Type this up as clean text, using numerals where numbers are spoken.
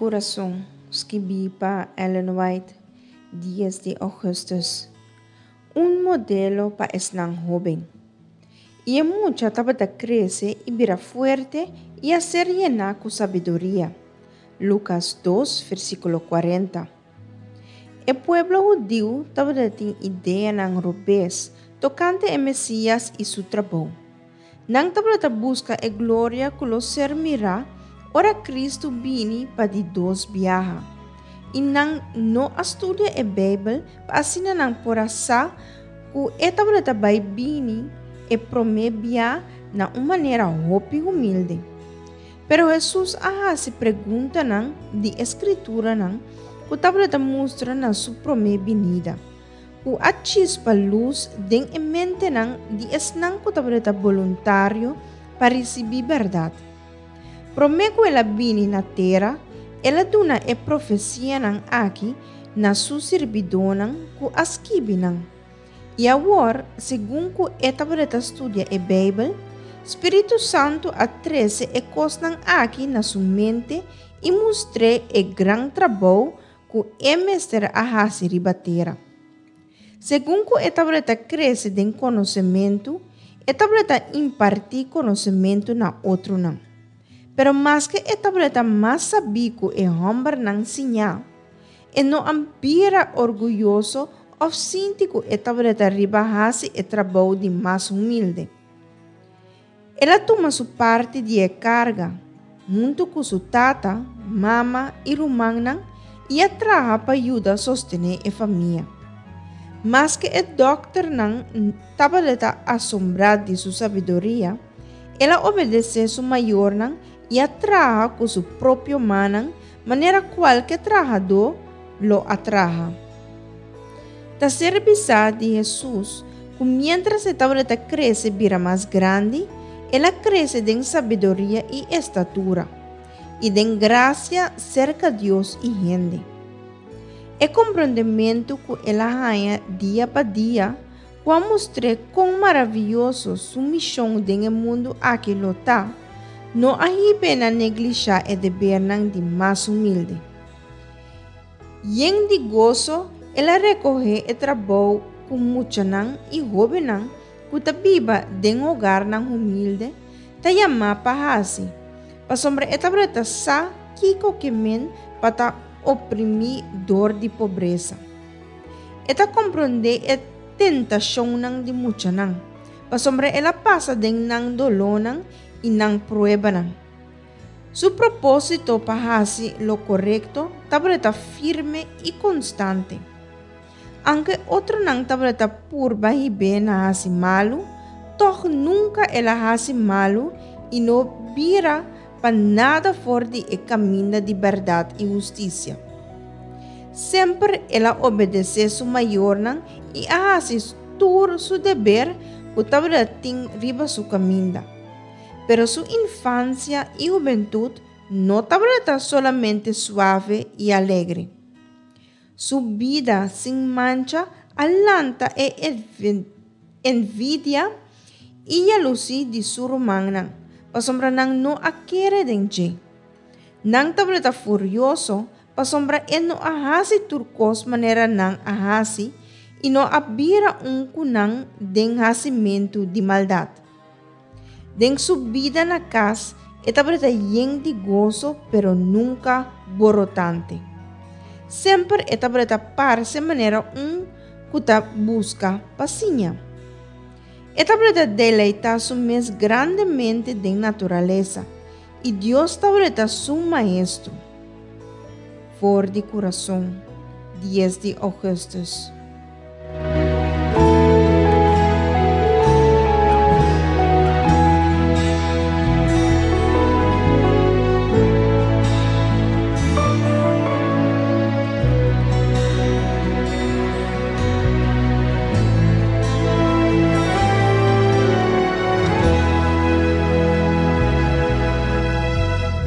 Kurason, skibí pa Ellen White, dies di ougùstùs. Un modelo pa esnan hóben. I e mucha tabata krese i bira fuerte i a ser yená ku sabiduria. Lukas dos, versíkulo kuarenta. E pueblo hudiu tabata tin ideanan robes tokante e Mesías i su trabou. Nan tabata buska e gloria ku lo ser mirá ora Kristu bini pa di dos biaha. I nan no a studia e Beibel pa asina nan por a sa ku e tabata bai bini e promé bia na un manera hopi humilde. Pero Hesus a hasi preguntanan di e Skrituranan ku tabata mustra na su promé binida. Ku a chispa lus den e mentenan di esnan ku tabata boluntario pa risibí bèrdat. Promé ku el a bini na tera, el a duna e profesianan aki na su sirbidónan ku a skibi nan. I awor, segun ku e tabata studia e Beibel, spiritu santu a trese e kosnan aki na su mente i mustr'é e gran trabou ku e mester a hasi riba tera. Segun ku e tabata krese den konosementu, e tabata impartí konosementu na otronan. Pero maske e tabata mas sabí ku e hòmbernan siñá, e no a bira orguyoso òf sinti ku e tabata riba hasi e trabou di mas humilde. El a tuma su parti di e karga, huntu ku su tata, mama i rumannan i a traha pa yuda sostené e famia. Maske e dòkternan tabata asombrá di su sabiduria, el a obedesé su mayornan i a traha ku su propio mannan manera kualke trahadó lo a traha. Ta ser bisá di Hesus ku miéntras e tabata krese bira mas grandi, el a krese den sabiduria i estatura, i den grasia serka Dios i hende. E komprondementu ku el a haña dia pa dia ku a mustr'é kon maravioso su mishon den e mundu aki lo ta, no a hib'é na neglishá e debernan di mas humilde. Yen di goso el a rekohé e trabou ku muchanan i hóbennan ku ta biba den hogarnan humilde ta yamá pa hasi, pasobra e tabata sa kiko ke men pa ta oprimí dor di pobresa. E ta komprondé e tentashonnan di muchanan, pasobra el a pasa den nan dolónan i nan pruebanan. Su propósito pa hasi lo korekto tabata firme i konstante. Anke otronan tabata purba hib'é na hasi malu, tòg nunka el a hasi malu i no bira pa nada for di e kaminda di bèrdat i hustisia. Semper el a obedesé su mayornan i a hasi tur su deber ku tabata tin riba su kaminda. Pero su infansia i hubentut no tabata solamente suave i alegre. Su bida sin mancha a lanta e envidia i yalusí di su rumannan, pasobra nan no a kere den dje. Nan tabata furioso pasobra e no a hasi tur kos manera nan a hasi i no a bira un ku nan den hasimentu di maldat. Den su bida na kas e tabata yen di goso pero nunka borotante. Semper e tabata parse manera un ku ta buska pa siña. E tabata deleitá su mes grandemente den naturalesa i Dios tabata su maestro. For di kurason, dies di ougùstùs.